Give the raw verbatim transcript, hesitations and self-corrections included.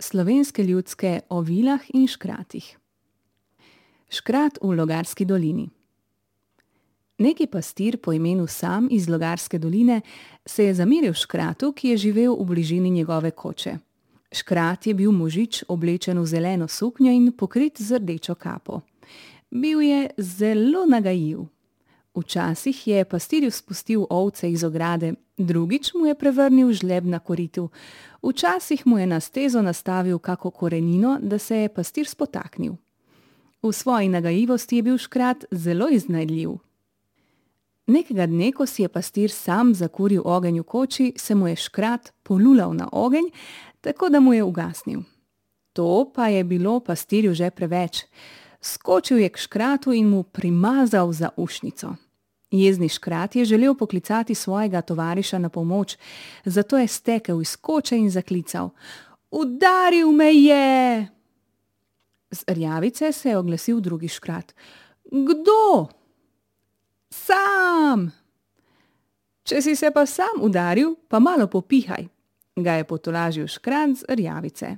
Slovenske ljudske o vilah in škratih. Škrat v Logarski dolini. Neki pastir po imenu Sam iz Logarske doline se je zameril škratu, ki je živel v bližini njegove koče. Škrat je bil možič, oblečen v zeleno suknjo in pokrit z rdečo kapo. Bil je zelo nagajiv. Včasih je pastirju spustil ovce iz ograde, drugič mu je prevrnil žleb na koritu, včasih mu je na stezo nastavil kako korenino, da se je pastir spotaknil. V svoji nagajivosti je bil škrat zelo iznajdljiv. Nekega dne, ko si je pastir Sam zakuril ogenj v koči, se mu je škrat polulal na ogenj, tako da mu je ugasnil. To pa je bilo pastirju že preveč. Skočil je k škratu in mu primazal za ušnico. Jezni škrat je želel poklicati svojega tovariša na pomoč, zato je stekel iz koče in zaklical: "Udaril me je!" Z rjavice se je oglasil drugi škrat: "Kdo?" "Sam!" "Če si se pa sam udaril, pa malo popihaj," ga je potolažil škrat z rjavice.